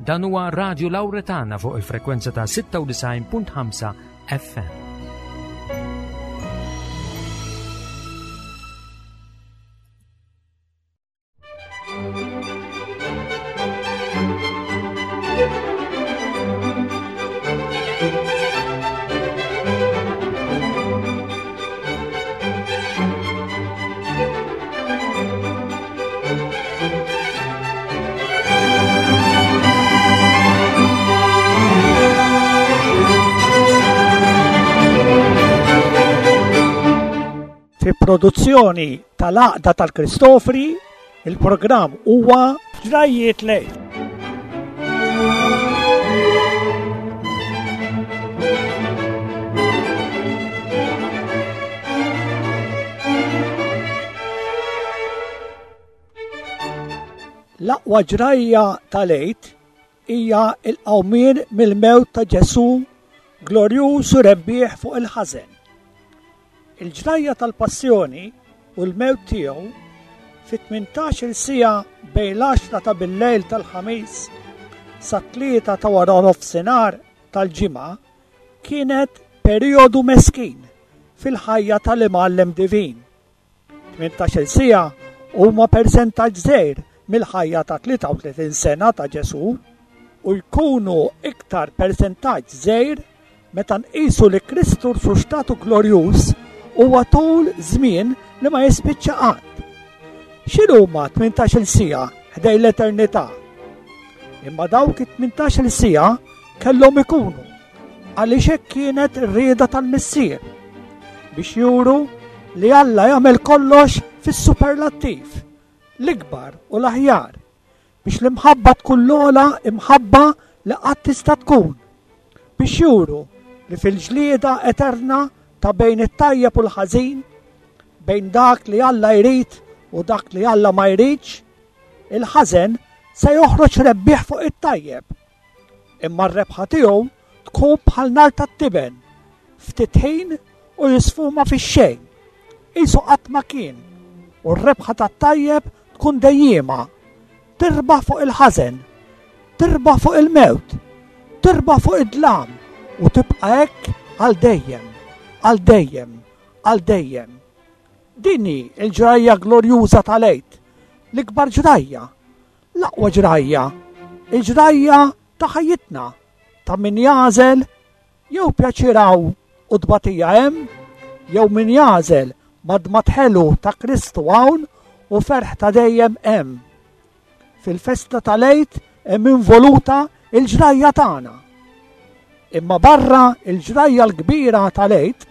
Dan huwa Radio Lauretana fuq il-frekwenza ta' 96.5 FM. Fi produzzjoni tal-Għaqda tal-Kristofri, il-programm huwa Ġrajjiet Lejl. L-aqwa ġrajja tal-Għid hija l-qawmien mill-mewt ta' Ġesù glorjuż u rebbieħ fuq il-ħażen. Il-ġrajja tal-passjoni u l-mewt tiegħu fi 18-il siegħa bejn l-għaxra ta' billejl tal-Ħamis sat-tlieta ta' wara nofsinhar tal-Ġimgħa kienet perijodu meskin fil-ħajja tal-Imgħallem Divin. 18-il siegħa huma persentaġġ żgħir mill-ħajja ta' 33 sena ta' Ġesù u jkunu iktar persentaġġ żgħir meta nqisu li Kristu rxuxtatu glorjuż huwa tul żmien li ma jispiċċa qatt. X'inhuma 18-il siegħa ħdejn l-eternità? Imma dawk it-18-il siegħa kellhom ikunu għaliex hekk kienet ir-rieda tal-Missier biex juru li Alla jagħmel kollox fis-superlattiv, l-ikbar u l-aħjar, biex l-imħabba tkun l-ogħla imħabba li qatt tista' tkun, biex juru li fil-ġlieda eterna ta' bejn it-tajjeb u l-ħażin, bejn dak li Alla jrid u dak li Alla ma jridx, il-ħażen se joħroġ rebbieħ fuq it-tajjeb. Imma r-rebħa tiegħu tkun bħal nar tat-tiben, ftit ħin u jisfuma fix-xejn. Qisu qatt ma kien, u r-rebħa tat-tajjeb tkun dejjiema. Tirbaħ fuq il-ħażen, tirbaħ fuq il-mewt, tirbaħ fuq id-dlam u tibqa' hekk għal dejjem, għal dejjem, għal dejjem. Din hi l-ġrajja glorjuża tal-Għid, l-ikbar ġrajja L-aqwa ġrajja, il-ġrajja ta' ħajjitna, ta' min jagħżel jew pjaċir hawn u tbatija hemm, jew min jagħżel madmad ħelu ta' Kristu hawn u ferħ ta' dejjem hemm. Fil-festa tal-Għid hemm involuta l-ġrajja tagħna. Imma barra l-ġrajja l-kbira tal-Għid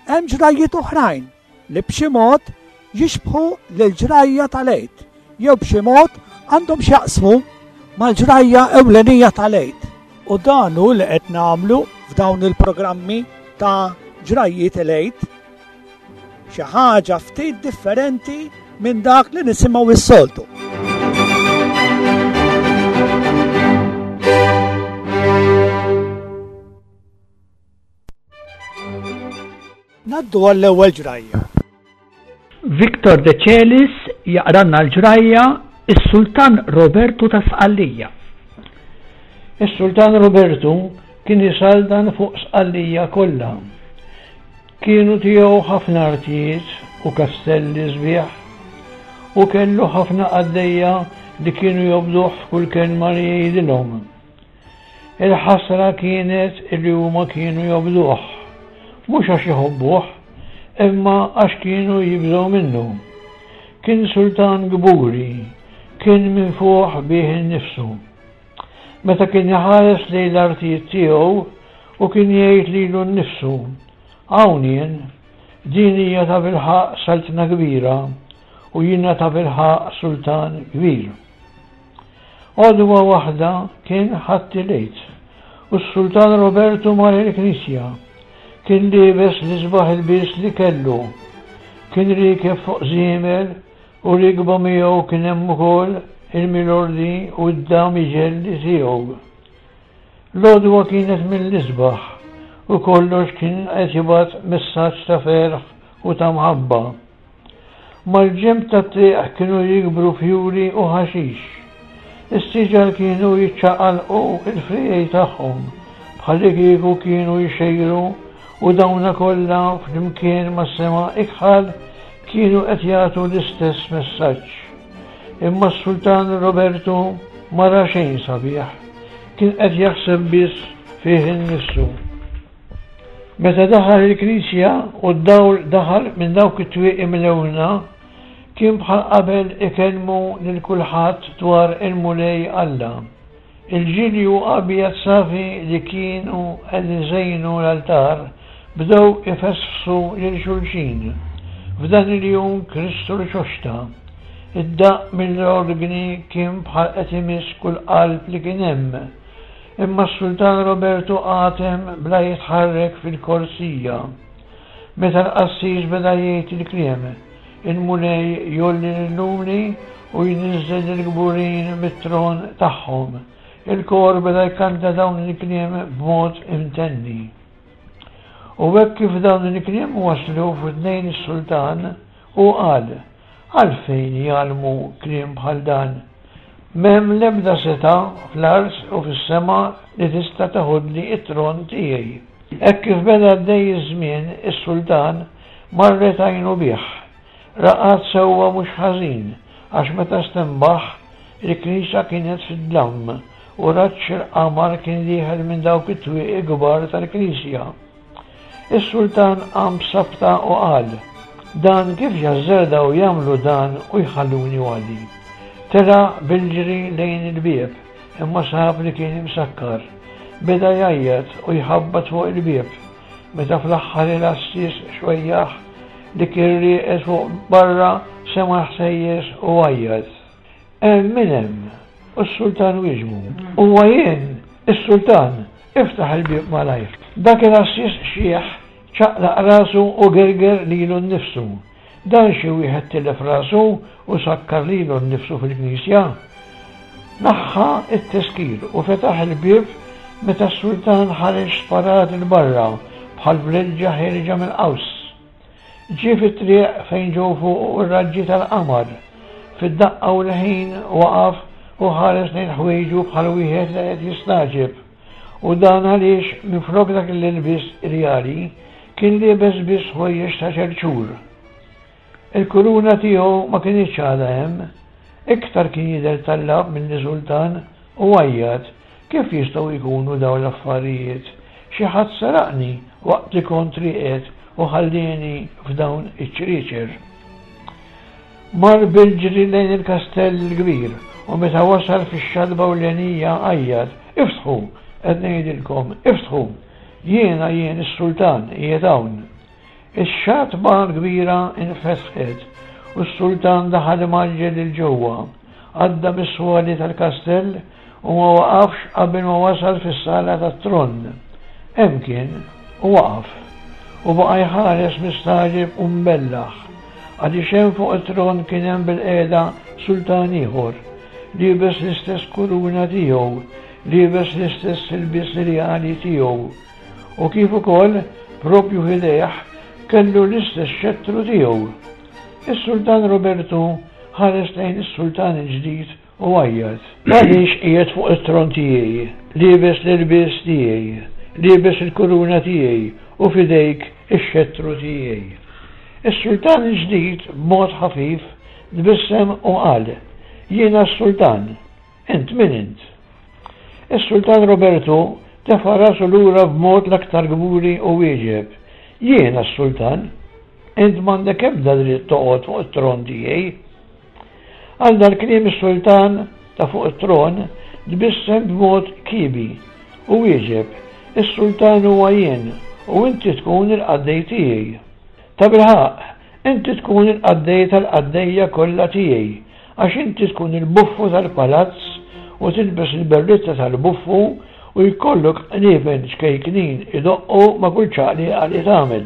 hemm ġrajjiet oħrajn li b'xi mod jixbħu lill-ġrajja tal-Għid jew b'xi mod għandhom x'jaqsmu mal-ġrajja ewlenija tal-Għid. U dan hu li qed nagħmlu f'dawn il-programmi ta' ġrajjiet il-Għid. Xi ħaġa ftit differenti minn dak li nisimgħu s-soltu. Ngħaddu għall-ewwel ġrajja. Victor De Celis jaqranna l-ġrajja Is-Sultan Robertu ta' Sqallija. Is-Sultan Robertu kien isaltan fuq Sqallija kollha. Kienu tiegħu ħafna artijiet u kastelli sbieħ u kellu ħafna qaddejja li kienu jobduh f'kull kelma li jgħidilhom. Il-ħasra kienet illi huma kienu jobduh, mhux għax iħobbuh, imma għax kienu jibżgħu minnu. Kien sultan kburi, kien minfuħ bih innifsu. Meta kien iħares lejn l-artijiet tiegħu u kien jgħid lilu nnifsu, Hawn jien, din hija tabilħaqq saltna kbira u jiena tabilħaqq sultan kbir. Għodwa waħda kien Ħadd il-Għid u s-Sultan Robertu mar il-knisja. Kien liebes l-isbaħ ilbies li kellu. Kien riekeb fuq żiemel u riekba miegħu kien hemm ukoll il-milordi u d-damiġelli tiegħu. L-għodwa kienet mill-isbaħ u kollox kien qed jibgħat messaġġ ta' ferħ u ta' mħabba. Mal-ġenb tat-triq kienu jikbru fjuri u ħaxix. Is-siġar kienu jiċċaqalqu l-friegħi tagħhom bħallikieku kienu jxejru u dawna kollha flimkien mas-sema ikħal kienu qed jagħtu l-istess messaġġ. Imma s-Sultan Robertu ma ra xejn sabiħ. Kien qed jaħseb biss fih innifsu. Meta daħal il-knisja u d-dawl daħal minn dawk it-twieqi mlewna, kien bħal qabel ikellmu lil kulħadd dwar il-Mulej Alla. Il-ġilju abjad safi li kienu qed iżejnu l-altar bdew ifesfsu lil xulxin. F'dan il-jum Kristu rxoxta. Id-daqq mill-orgni kien bħal qed imiss kull qalb li kien hemm. Imma s-Sultan Robertu qagħad hemm bla jitħarrek fil-korsija. Meta l-qassis beda jgħid il-kliem, Il-Mulej jgħolli lill-umli u jniżżel lill-kburin mit-tron tagħhom, il-kor beda jkanta dawn il-kliem b'mod imtenni. U hekk kif dawn il-kliem waslu f'widnejn is-sultan, hu qal, Għalfejn jgħallmu kliem bħal dan? M'hemm l-ebda setgħa fl-art u fis-sema li tista' teħodli t-tron tiegħi. Hekk kif beda għaddej iż-żmien, is-sultan marret għajnu bih. Raqad sewwa mhux ħażin, għax meta stenbaħ, il-knisja kienet fid-dlam u raġġ il-qamar kien dieħel minn dawk it-twieqi kbar tal-knisja. Is-sultan qam b'sabta u qal, Dan kif jażżardaw jagħmlu dan u jħalluni waħdi? Telaq bil-ġri lejn il-bieb, imma sab li kien imsakkar. Beda jgħajjat u jħabbat fuq il-bieb. Meta fl-aħħar il-għassies xwejjaħ li kien rieqed fuq barra sema' l-ħsejjes u għajjat. Hemm min hemm? U s-sultan wieġbu, Huwa jien, is-sultan, iftaħ il-bieb malajr. Dak il-għassies xiħ ċaqlaq rasu u gerger lilu nnifsu. Dan xi wieħed tilef rasu u sakkar lilu nnifsu fil-knisja? Naħħa t-teskir u fetaħ il-bieb meta s-sultan ħareġ sparat 'il barra bħal vleġġa ħierġa mill-qaws. Ġie fit-triq fejn ġew fuqu r-raġġi tal-qamar. Fid-daqqa u l-ħin waqaf u ħares lejn ħwejġu bħal wieħed li qed jistagħġeb. U dan għaliex minflok dak l-ilbies irjali kien liebes biss ħwejjeġ ta' ċerċur. Il-kuruna tiegħu ma kinitx għadha hemm. Iktar kien jidher tallab milli sultan u għajjat, Kif jistgħu jkunu dawn l-affarijiet? Xi ħadd saraqni waqt li kont rieqed u ħallieni f'dawn iċ-ċrieċer. Mar bil-ġri lejn il-kastell il-kbir u meta wasal fix-xatba ewlenija għajjat, Iftħu! Qed ngħidilkom, iftħu! Jiena jien is-sultan qiegħed hawn! Ix-xatba l-kbira infetħet u s-sultan daħal imgħaġġel 'il ġewwa. Għadda mis-swali tal-kastell u ma waqafx qabel ma wasal fis-sala tat-tron. Hemm kien, u waqaf, u baqa' jħares mistagħġeb u mbellaħ, għaliex hemm fuq it-tron kien hemm bilqiegħda sultan ieħor, liebes l-istess kuruna tiegħu, liebes l-istess ilbies rjali tiegħu, u kif ukoll, proprju f'idejh, kellu l-istess xettru tiegħu. Is-Sultan Robertu ħares lejn is-sultan il-ġdid U għajjat, Għaliex qiegħed fuq it-tron tiegħi, liebes l-ilbies tiegħi, liebes il-kuruna tiegħi u f'idejk ix-xettru tiegħi? Is-sultan il-ġdid b'mod ħafif tbissem u qal, Jiena s-sultan. Int min int? Is-sultan Robertu tefa' rasu lura b'mod l-aktar kburi u wieġeb, Jiena s-sultan. Int m'għandek ebda dritt toqgħod fuq it-tron tiegħi. Għal dal-kliem is-sultan ta' fuq it-tron tbissem b'mod kiebi u wieġeb, Is-sultan huwa jien u inti tkun il-qaddej tiegħi. Tabilħaqq, inti tkun il-qaddej tal-qaddejja kollha tiegħi, għax inti tkun il-buffu tal-palazz u tilbes il-berritta tal-buffu u jkollok qniepen ċkejknin idoqqu ma' kull ċaqliqa li tagħmel.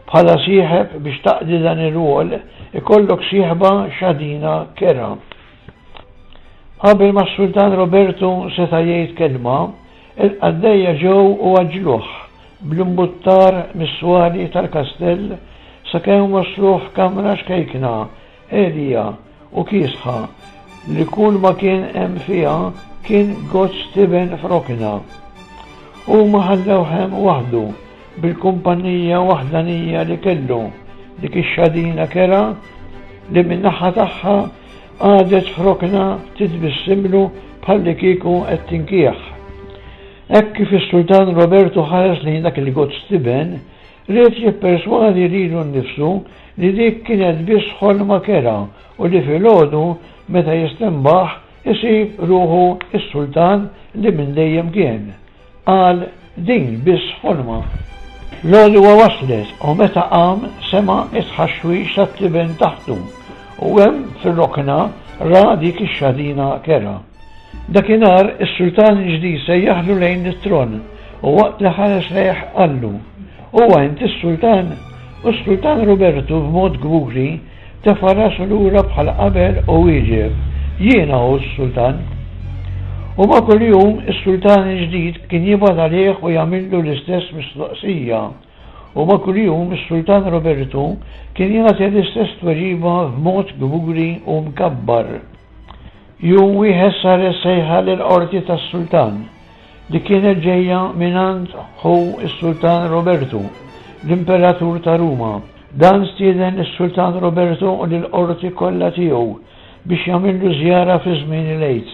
Bħala sieħeb biex taqdi dan ir-rwol ikollok sieħba xadina kerha. Qabel ma s-Sultan Robertu seta' jgħid kelma, il-qaddejja ġew u għaġġluh bl-imbuttar mis-swali tal-kastell sakemm wassluh f'kamra ċkejkna, għelija u kiesħa. li kull ma kien hemm fiha kien gozz tiben f'rokna. Huma ħallewh hemm waħdu bil-kumpanija waħdanija li kellu, dik ix-xadina kerha li min-naħa tagħha qagħdet f'rokna titbissimlu bħallikieku qed tinkieħ. Hekk kif is-Sultan Robertu ħares lejn dak il-gozz tiben, ried jipperswadi lilu nnifsu li dik kienet biss ħolma kerha u li filgħodu meta jistenbaħ isib ruħu s-sultan li minn dejjem kien. Qal din biss ħolma. L-għodwa waslet u meta qam sema' t-tħaxwix tat-tiben taħtu u hemm fir-rokna ra dik ix-xadina kerha. Dakinhar is-sultan il-ġdid sejjaħlu lejn it-tron u waqt li ħares lejh qallu, Huwa int is-sultan? U s-sultan Robertu b'mod kburi tefa' rasu lura bħal qabel u wieġeb, Jiena hu s-sultan. U ma' kull jum is-sultan il-ġdid kien jibgħat għalih u jagħmillu l-istess mistoqsija. U ma' kull jum is-sultan Robertu kien jagħti l-istess tweġiba b'mod kburi u mkabbar. Jum wieħed saret sejħa lill-qorti tas-sultan, li kienet ġejja mingħand ħu s-Sultan Robertu, l-Imperatur ta' Ruma. Dan stieden lis-Sultan Robertu u lill-qorti kollha tiegħu biex jagħmillu żjara fi żmien il-Għid.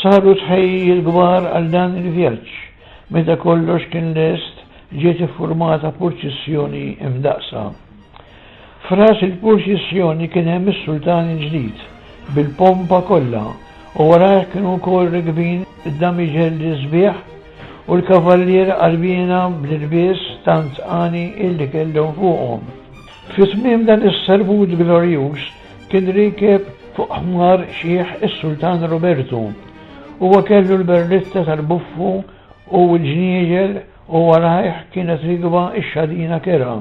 Saru tħejjijiet kbar għal dan il-vjaġġ. Meta kollox kien lest, ġiet iffurmata purċissjoni imdaqqsa. F'ras il-purċissjoni kien hemm is-sultan il-ġdid, bil-pompa kollha, u warajh kienu wkoll rikbin id-damiġelli sbieħ u l-kavallieri qalbiena bl-ilbies tant għani illi kellhom fuqhom. Fi tmiem dan is-serbut glorjuż kien riekeb fuq ħmar xiħ is-Sultan Robertu. Huwa kellu l-berlitta tal-buffu u l-ġnieġel u warajh kienet rikba x-xadina kerha.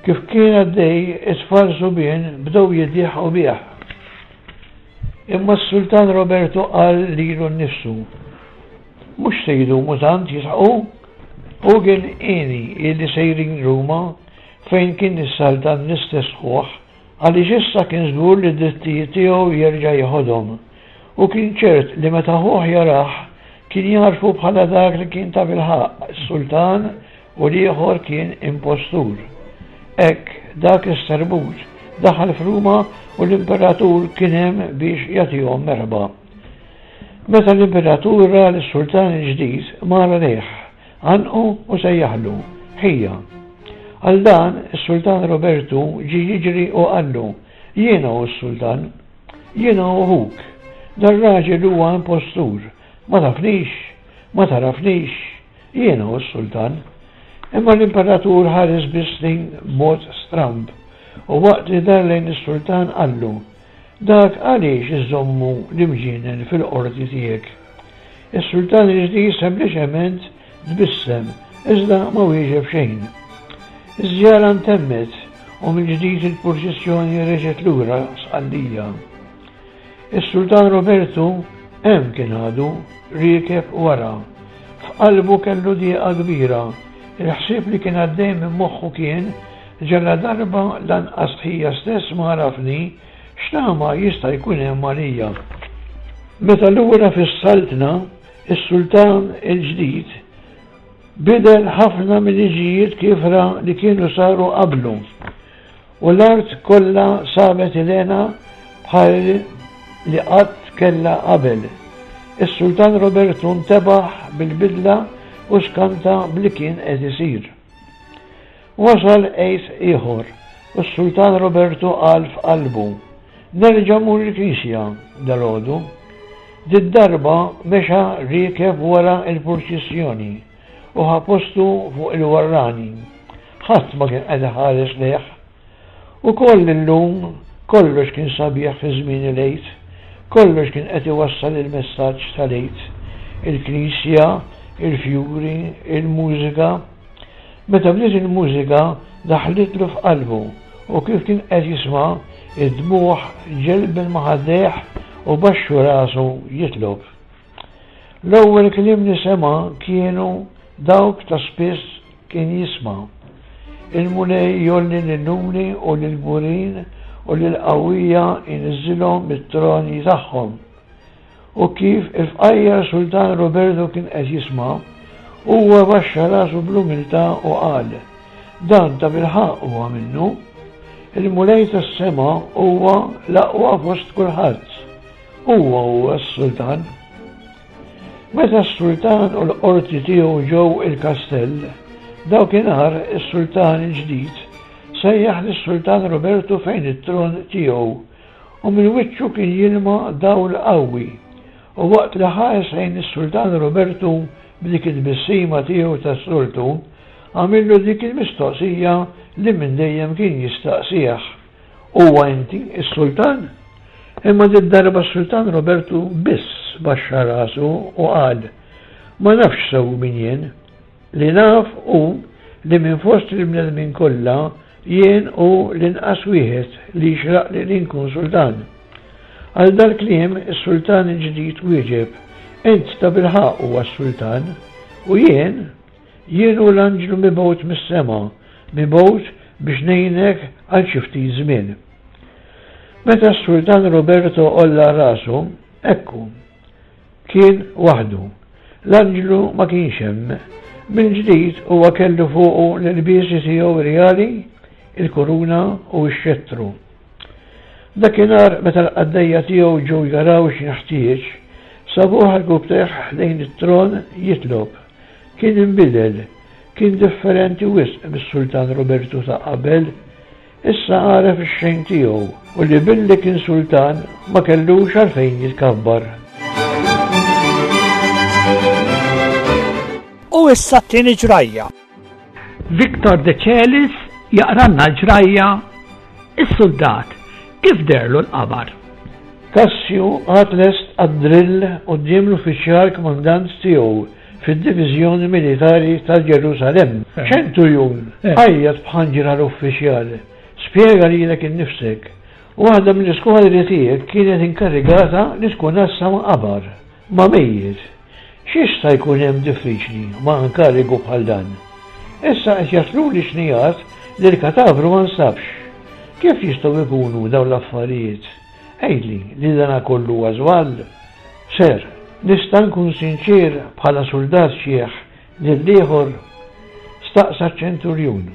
Kif kien għaddej, it-tfal subien bdew jiddieħqu bih. Imma s-Sultan Roberto qal lilu nnifsu, Mhux se jdumu tant jisħqu. Hu kien hieni illi sejrin Ruma fejn kien issaltan l-istess ħuh għaliex issa kien żgur li d-drittijiet tiegħu jerġa' jeħodhom. Hu kien ċert li meta ħuh jarah kien jagħrfu bħala dak li kien tabilħaqq is-sultan u l-ieħor kien impostur. Hekk, dak is-serbut daħal f'Ruma u l-imperatur kien hemm biex jagħtihom merħba. Meta l-imperatur ra lis-sultan il-ġdid, mar għalih, għannqu u sejjaħlu, Ħija. Għal dan, is-sultan Robertu ġie jiġri u qallu, Jiena hu s-sultan. Jiena hu ħuk. Dar-raġel huwa impostur. Ma tafnix? Ma tagħrafnix? Jiena hu s-sultan. Imma l-imperatur ħares biss lejn b'mod stramb, u waqt li dar lejn is-sultan qallu, Dak għaliex iżżommu l-imġienen fil-qorti tiegħek? Is-sultan il-ġdid sempliċement tbissem, iżda ma wieġeb xejn. Iż-żjara ntemmet u mill-ġdid il-purċissjoni reġgħet lura Sqallija. Is-Sultan Robertu hemm kien għadu, riekeb wara. F'qalbu kellu dieqa kbira. Il-ħsieb li kien għaddej minn moħħu kien, ġaladarba lanqas ħija stess ma għarafni, x'tama jista' jkun hemm għalija? Meta lura fis-saltna, is-sultan il-ġdid bidel ħafna mil-liġijiet kiefra li kienu saru qablu. U l-art kollha sabet il-hena bħal li qatt kellha qabel. Is-Sultan Robertu ntebaħ bil-bidla u skanta b'li kien qed isir. Wasal Għid ieħor u s-Sultan Robertu qal f'qalbu, Nerġa' mmur il-knisja dalgħodu. Did-darba mexa riekeb wara l-purċissjoni u ħa postu fuq il-warrani. Ħadd ma kien qed iħares lejh. Ukoll illum kollox kien sabiħ fi żmien il-Għid. Kollox kien qed iwassal il-messaġġ tal-Għid. Il-knisja, il-fjuri, il-mużika. Meta bdiet il-mużika daħlitlu f'qalbu u kif kien qed jisma' id-dmugħ ġelben ma' ħaddejh u baxxu rasu jitlob. L-ewwel kliem li sema' kienu dawk ta' spiss kien jisma'. Il-Mulej jgħolli lill-umli u lill-kburin u lill-qawwija jniżżilhom mit-troni tagħhom. U kif il-fqajjar Sultan Roberto kien qed jisma', huwa baxxa rasu bl-umiltà u qal, Dan tabilħaqq huwa minnu. Il-Mulej tas-sema huwa l-aqwa fost kulħadd. Huwa huwa s-Sultan. Meta s-Sultan u l-qorti tiegħu ġew il-kastell, dawkinhar is-Sultan il-ġdid sejjaħ lis-Sultan Roberto fejn it-tron tiegħu u minn wiċċu kien jilma dawl qawwi. U waqt li ħares lejn is-Sultan Robertu b'dik it-tbissima tiegħu tas-soltu, għamillu dik il-mistoqsija li minn dejjem kien jistaqsih, Huwa inti s-Sultan? Imma did-darba s-Sultan Robertu biss baxxa rasu u qal, Ma nafx sew min jien. Li naf hu li minn fost il-bnedmin kollha Jien hu l-inqas wieħed li jixraqli li nkun sultan. Għal dal-kliem is-sultan il-ġdid wieġeb, Int tabilħaqq huwa s-sultan, u jien, jien hu l-anġlu mibgħut mis-sema, mibgħut biex ngħinek għal xi ftit żmien. Meta s-sultan Roberto għolla rasu, ekku, Kien waħdu. L-anġlu ma kienx hemm. Mill-ġdid huwa kellu fuqu l-ilbiesi tiegħu rjali, il-kuruna u x-xettru. Dakinhar meta l-qaddejja tiegħu ġew jaraw x'inħtieġ, sabuh għarkupptejh ħdejn it-tron jitlob. Kien inbidel, kien differenti wisq mis-Sultan Robertu ta' qabel. Issa għaref ix-xejn tiegħu u li billi kien sultan ma kellux għalfejn jitkabbar. U issa t-tieni ġrajja. Victor De Celis jaqranna l-ġrajja Is-suldat kif deherlu l-qamar. Cassio qagħad lest għad-drill quddiem l-uffiċjal kmandant tiegħu fid-diviżjoni militari ta' Ġerusalemm. Ċenturjun, għajjat b'ħanġra l-uffiċjal, spjega lilek innifsek. Waħda mill-iskwadri tiegħek kienet inkarigata li tkun għassa ma' qabar, ma' mejjet. X'jista' jkun hemm diffiċli ma' inkarigu bħal dan? Issa qed jasluli xnigħat li l-katavru ma nstabx. Kif jistgħu jkunu dawn l-affarijiet? Għidli li dana kollu huwa żball. Sir, nista' nkun sinċier bħala suldat xiħ lill-ieħor? staqsa ċ-ċenturjun.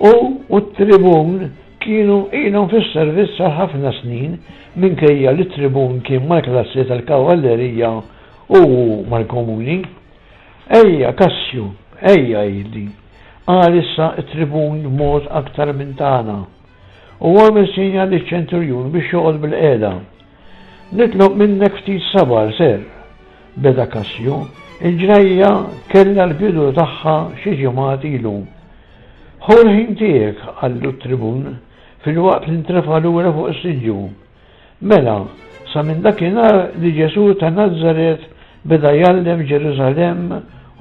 Hu u t-tribun kienu ilhom fis-servizz għal ħafna snin minkejja li t-tribun kien mal-klassi tal-kavallerija u hu mal-komuni. Ejja, Kassju, ejja għidli, qal issa t-tribun b'mod aktar minn tagħna. U għamel sinjal liċ-ċenturjun biex joqgħod bilqiegħda. Nitlob minnek ftit sabar, Sir, beda Cassio. Il-ġrajja kellha l-bidu tagħha xi ġimgħat ilu. Ħu l-ħin tiegħek, qallu t-tribun, filwaqt li ntrefa' lura fuq is-siġġu. Mela, sa minn dakinhar li Ġesù ta' Nazaret beda jgħallem Ġerusalemm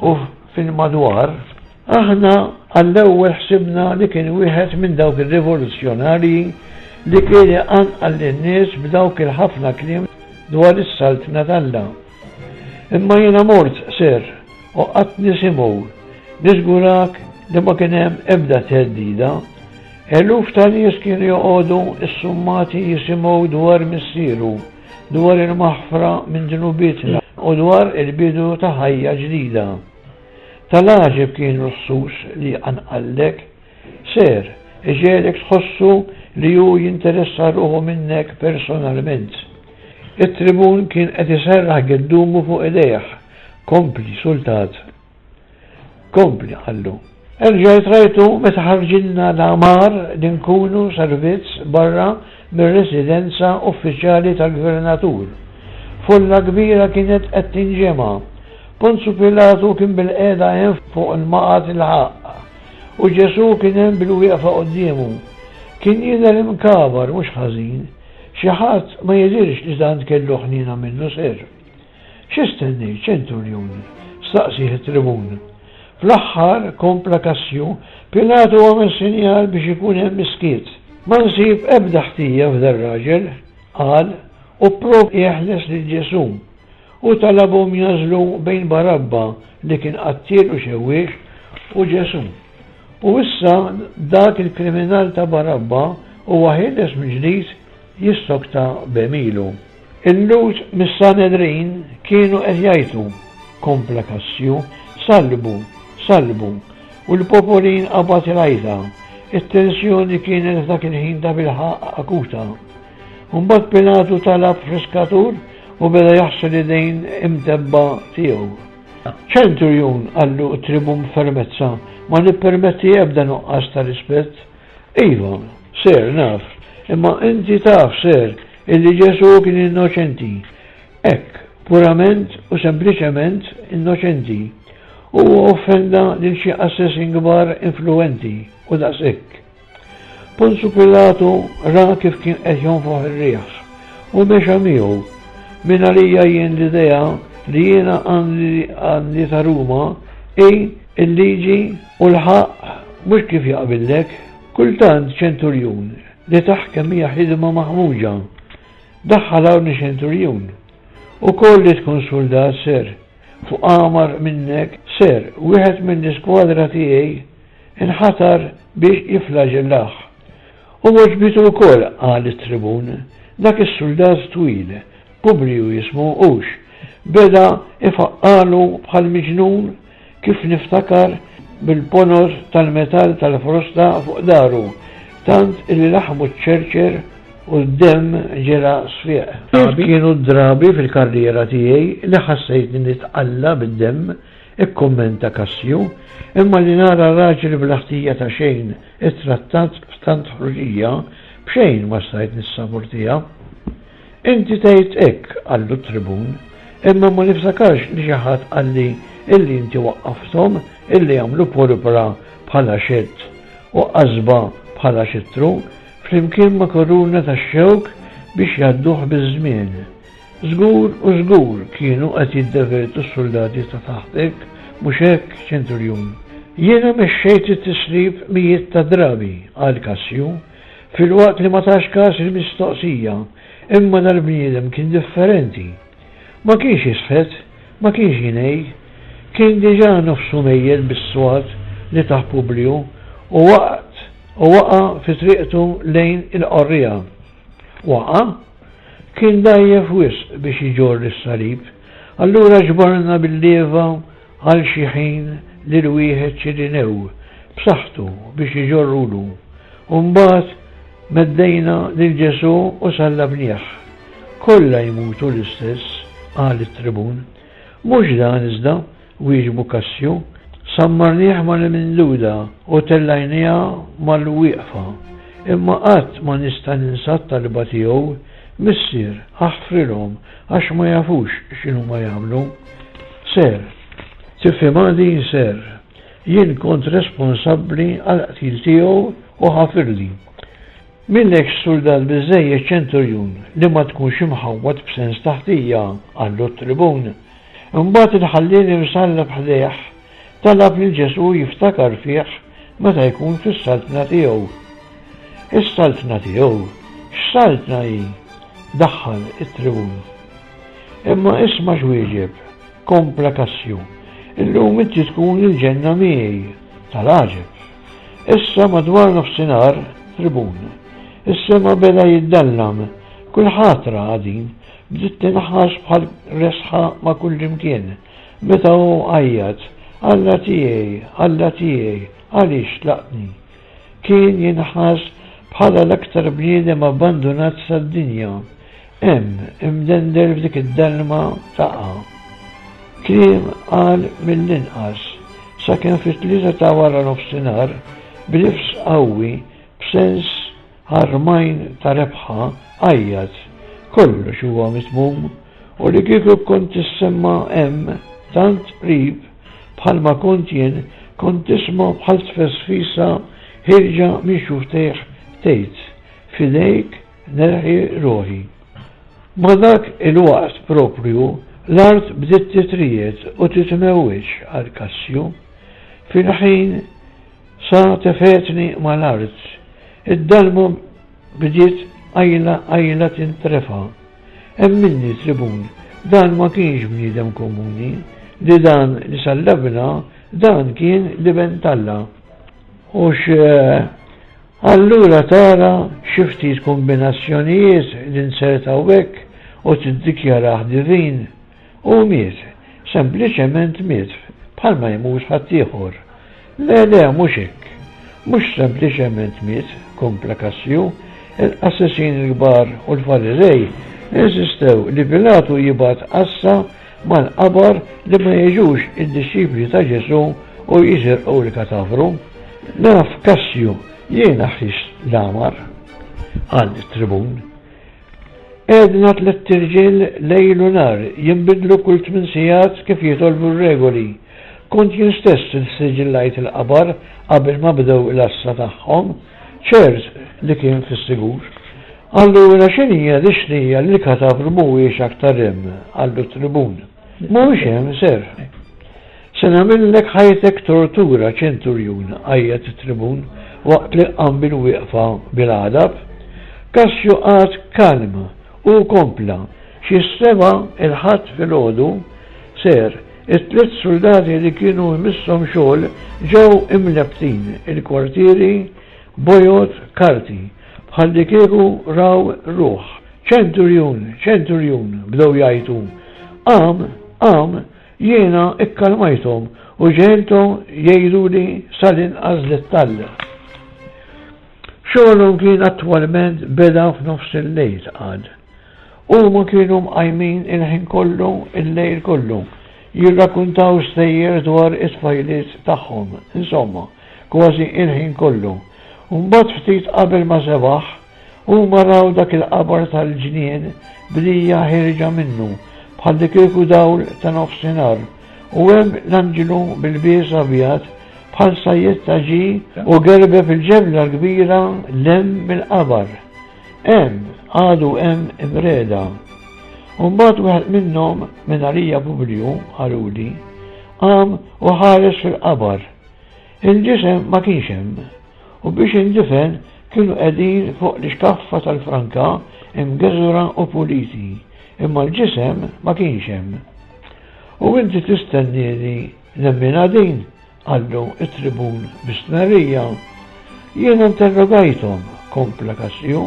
u fil-madwar, Aħna għall-ewwel ħsibna li kien wieħed minn dawk ir-rivoluzzjonarji li kien iqanqal lin-nies b'dawk il-ħafna kliem dwar is-Saltna t'Alla. Imma jiena mort, Sir, u qgħadt nisimgħu. Niżgurak li ma kien hemm ebda theddida. Eluf ta' nies kienu joqogħdu ssummati jisimgħu dwar Missieru, dwar il-maħfra minn dnubietna u dwar il-bidu ta' ħajja ġdida. Tal-għaġeb kienu l-ħsus li jqanqallek. Ser, iġegħlek tħossu li hu jinteressa ruħu minnek personalment. It-tribun kien qed iserraħ geddumu fuq idejh. Kompli, sultat. Kompli, qallu. Erġajt rajtu meta ħarġilna l-għamar li nkunu servizz barra mir-residenza uffiċjali tal-gvernatur. Folla kbira kienet qed tinġema'. Ponzu Pilatu kien bilqiegħda hemm fuq il-maqgħad il-ħaqq, u Ġesù kien hemm bilwieqfa quddiemu. Kien jidher imkabar mhux ħażin. Xi ħadd ma jidhirx li tant kellu ħniena minnu Sir. Xi stennejt, ċenturjun? staqsieh it-tribun. Fl-aħħar, kompla Kassju, Pilatu għamel sinjal biex ikun hemm is-skiet. Ma nsib ebda ħtija f'dar-raġel, qal, u pprova jeħles lil Ġesù. Hu talabhom jagħżlu bejn Barabba, li kien qattiel u xewwiex, u Ġesù. U issa dak il-kriminal ta' Barabba Huwa ħieles mill-ġdid jissokta b'għemilu. Il-Lhud mis-Sanedrin kienu qed jgħajtu, kompla Kassju, Sallbu! Sallbu! U l-popolin qabad il-għajta. It-tensjoni kienet f'dak il-ħin tabilħaqq akuta. Mbagħad Pilatu talab friskatur u beda jaħsel l-idejn imtebba' tiegħu. Ċenturjun, qallu t-tribun b'fermezza, ma nippermetti ebda nuqqas ta' rispett. Iva, Sir, naf, imma inti taf, Sir, illi Ġesù kien innoċenti. Hekk, purament u sempliċement innoċenti. Huwa offenda lil xi qassesin kbar influwenti u daqshekk. Ponzu Pilatu ra kif kien qed jonfoħ ir-riħ u mexa miegħu. Mingħalija jien l-idea li jiena għandi ta' Ruma hi l-liġi u l-ħaqq mhux kif jaqbillek. Kultant ċenturjun li taħkem hija ħidma maħmuġa. Daħħal hawn ċenturjun. Ukoll li tkun suldat ser, fuq għamar minnek ser, wieħed mill-iskwadra tiegħi inħatar biex jifflaġellah. U għoġbitu wkoll, qal it-tribun, dak is-suldat twil, Publiju jismu, hux? Beda ifaqqagħlu bħal miġnun, kif niftakar, bil-ponot tal-metall tal-frosta fuq daru, tant illi laħmu ċċerċer u d-demm ġera sfiq. Ftit kienu d-drabi fil-karriera tiegħi li ħassejtni nitqalla' bid-demm, ikkummenta Cassio, imma li nara raġel bla ħtija ta' xejn ittrattat b'tant ħruxija, b'xejn ma stajt nissaportiha. Inti tgħid hekk, qallu t-tribun, imma ma niftakarx li xi ħadd qalli illi inti waqqafthom illi jagħmlu porpra bħala xedd u qasba bħala xittru, flimkien ma' kuruna tax-xewk biex jgħadduh biż-żmien. Żgur u żgur kienu qed jiddevertu s-suldati ta' taħtek, mhux hekk, ċenturjun? Jiena mexxejt it-tislib mijiet ta' drabi, qal Kassju, filwaqt li ma tax kas il-mistoqsija, imma dal-bniedem kien differenti. Ma kienx jisħet, ma kienx jingħi. Kien diġà nofsu mejjet bis-swat li tah Publiju u waqt u waqa' fi triqtu lejn il-qorriegħa. Waqa'? Kien dgħajjef wisq biex iġorr is-salib, allura ġbarna bil-lieva għal xi ħin lil wieħed Ċirinew b'saħħtu biex iġorrulu, u mbagħad meddejna lil Ġesù u sallabnieh. Kollha jmutu l-istess, qal it-tribun. Mhux dan iżda, wieġbu Kassju. Sammarnieh mal-minduda u tellajniha mal-wieqfa. Imma qatt ma nista' ninsa t-talba tiegħu, Missier, aħfrilhom għax ma jafux x'inhuma jagħmlu. Ser. Tifhimha din, Ser. Jien kont responsabbli għall-qtil tiegħu u ħafirli. M'ilekx suldat biżżejjed ċenturjun li ma tkunx imħawwad b'sens ta' ħtija, qallu t-tribun. Imbagħad il-ħalliel imsallab ħdejh talab lil Ġesù jiftakar fih meta jkun fis-saltna tiegħu. Is-saltna tiegħu? X'saltna hi? daħħal it-tribun. Imma isma' x'wieġeb, kompla Kassju, illum inti tkun il-ġenna miegħi. Tal-għaġeb! Issa madwar nofsinhar, tribun. Is-sema beda jiddallam. Kulħadd raha din. Bdiet tinħass bħal resħa ma' kullimkien. Meta hu għajjat, Alla tiegħi, Alla tiegħi, għaliex tlaqtni? Kien jinħass bħala l-aktar bniedem abbandunat tad-dinja. Hemm, imdendel f'dik id-dalma taqa'. Kliem qal mill-inqas, sakemm fit-tlieta ta' waranofsinhar, b'nifs qawwi, b'sens ħarmajn ta' rebħa, għajjat, Kollox huwa mitmum! U li kieku kont tissemma' hemm, tant qrib, bħalma kont jien, kont tisma' bħal tfesfisa ħierġa minn xufftejh tgħid, F'idejk nerħi ruħi. Ma' dak il-waqt proprju, l-art bdiet titriegħed u titmewweġ, qal Kassju. Fil-ħin sa tefgħetni mal-art. Id-dalma bdiet qajla qajla tintrefa'. Emminni, tribun, dan ma kienx bniedem komuni, li dan li sallabna, dan kien l-Iben t'Alla. Hux. Allura tara xi ftit kombinazzjonijiet li nzertaw hekk u tiddikjarah divin. Hu miet, sempliċement miet, bħalma jmut ħaddieħor. Le, le, mhux hekk. Mhux sempliċement miet, kompla Kassju, il-qassisin il-kbar u l-Fariżej insistew li Pilatu jibgħat għassa mal-qabar li ma jiġux id-dixxipli ta' Ġesù u jisirqu l-katavru. Naf, Kassju, jiena ħrist l-għamar, qal it-tribun. Għedna tlett irġiel lejl u nhar, jinbidlu kull tmin sigħat kif jitolbu r-regoli. Kont jien stess li ssiġillajt il-qabar qabel ma bdew l-għassa tagħhom, ċert li kien fis-sigur. Allura x'inhija dix-xnija li l-katavru mhuwiex aktar hemm? qallu t-tribun. Mhuwiex hemm, sir. Se nagħmillek ħajtek tortura, ċenturjun, għajjat it-tribun waqt li qam bil-wieqfa bil-għadab. Kassju qagħad kalm u kompla, Xi s-sebgħa il-Ħadd filgħodu, sir, it-tliet suldati li kienu jmisshom xogħol ġew imlebbtin il-kwartieri bojod karti, bħallikieku raw ruħ. Ċenturjun! Ċenturjun! bdew jgħajtu. Qam! Qam! Jiena kkalmajthom u ġegħelthom jgħiduli sal-inqas dettall. Xogħolhom kien attwalment beda f'nofs il-lejl, qal. Huma kienu mqajmin il-ħin kollu il-lejl kollu, jirrakkuntaw stejjer dwar it-tfajliet tagħhom, insomma, kważi il-ħin kollu. U mbagħad ftit qabel ma sebaħ, huma raw dak il-qabar tal-ġnien b'dija ħierġa minnu, bħallikieku dawl ta' nofsinhar, u hemm l-anġlu b'ilbies abjad bħal sajjetta ġie u gerbeb il-ġebla l-kbira 'l hemm mill-qabar. Hemm, għadu hemm imreda. U mbagħad wieħed minnhom, minn għalija Publiju, qaluli, qam u ħares fil-qabar. Il-ġisem ma kienx hemm, u biex indifen kienu qegħdin fuq l-ixkaffa tal-franka imgeżwra u puliti, imma l-ġisem ma kienx hemm. U inti tistennieni nemminha din? qallu t-tribun bi stmerrija. Jiena interrogajthom, kompla Kassju,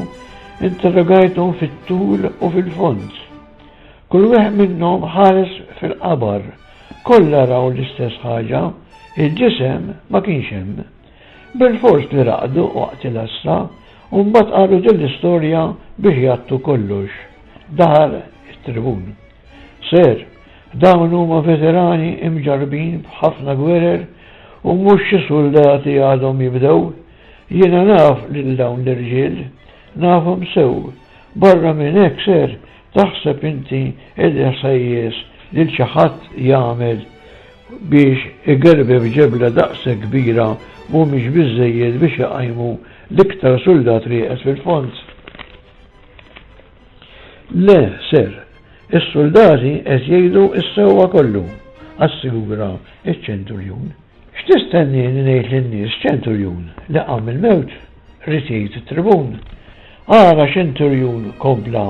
interrogajthom fit-tul u fil-fond. Kull wieħed minnhom ħares fil-qabar, kollha raw l-istess ħaġa, il-ġisem ma kienx hemm. Bilfors li raqdu waqt il-għassa u mbagħad qalu din l-istorja biex jgħattu kollox. Daħal it-tribun. Sir, dawn huma veterani imġarrbin b'ħafna gwerer u mhux xi suldati għadhom jibdew. Jiena naf lil dawn l-irġiel, nafhom sew. Barra minn hekk, sir, taħseb inti illi ħsejjes lil xi ħadd jagħmel biex igerbeb ġebla daqshekk kbira mhumiex biżżejjed biex iqajmu l-iktar suldat rieqed fil-fond? Le, sir, is-suldati qed jgħidu s-sewwa kollu, assigura ċ-ċenturjun. X'tistennieni ngħid lin-nies, ċenturjun, li qam mill-mewt? ried jgħid it-tribun. Ara, ċenturjun, kompla,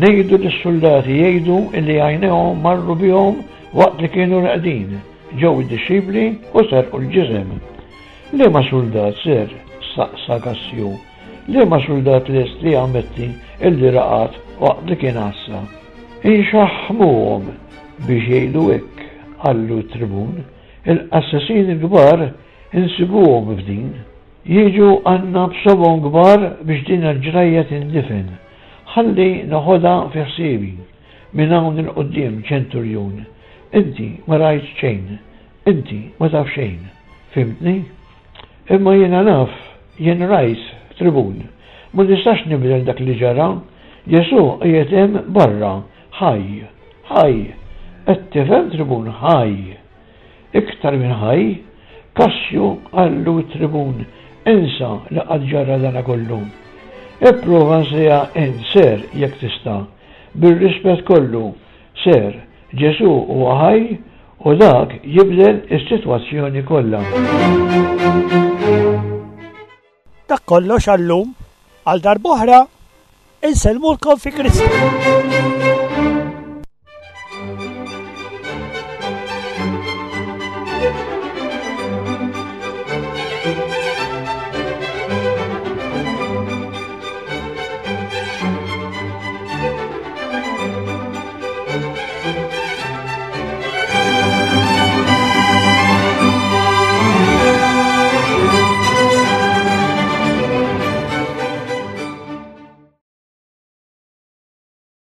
ngħidu lis-suldati jgħidu illi għajnejhom marru bihom waqt li kienu reqdin, ġew id-dixxipli u serqu l-ġisem. Liema suldat, sir? staqsa Kassju. Liema suldat lest li jammetti illi raqad waqt li kien għassa? Inxaħħmuhom biex jgħidu hekk, qallu t-tribun. Il-qassisin il-kbar insibuhom f'din. Jiġu għandna b'sobgħhom kbar biex din il-ġrajja tindifen. Ħalli noħodha fi ħsiebi. Minn hawn 'il quddiem, ċenturjun, inti ma rajt xejn. Inti ma taf xejn. Fhimtni? Imma jiena naf, jien rajt, tribun. Ma nistax nibdel dak li ġara. Ġesù qiegħed hemm barra, ħaj. Ħaj! Qed tifhem, tribun, ħaj! Iktar minn ħaj, Kassju qallu t-tribun, insa li qatt ġara dana kollu. Ipprova nsiha int, sir, jekk tista'. Bir-rispett kollu, sir, Ġesù huwa ħaj u dak jibdel is-sitwazzjoni kollha. Dak kollox għal-lum, għal darb'oħra, insellmulkom fi Kristu.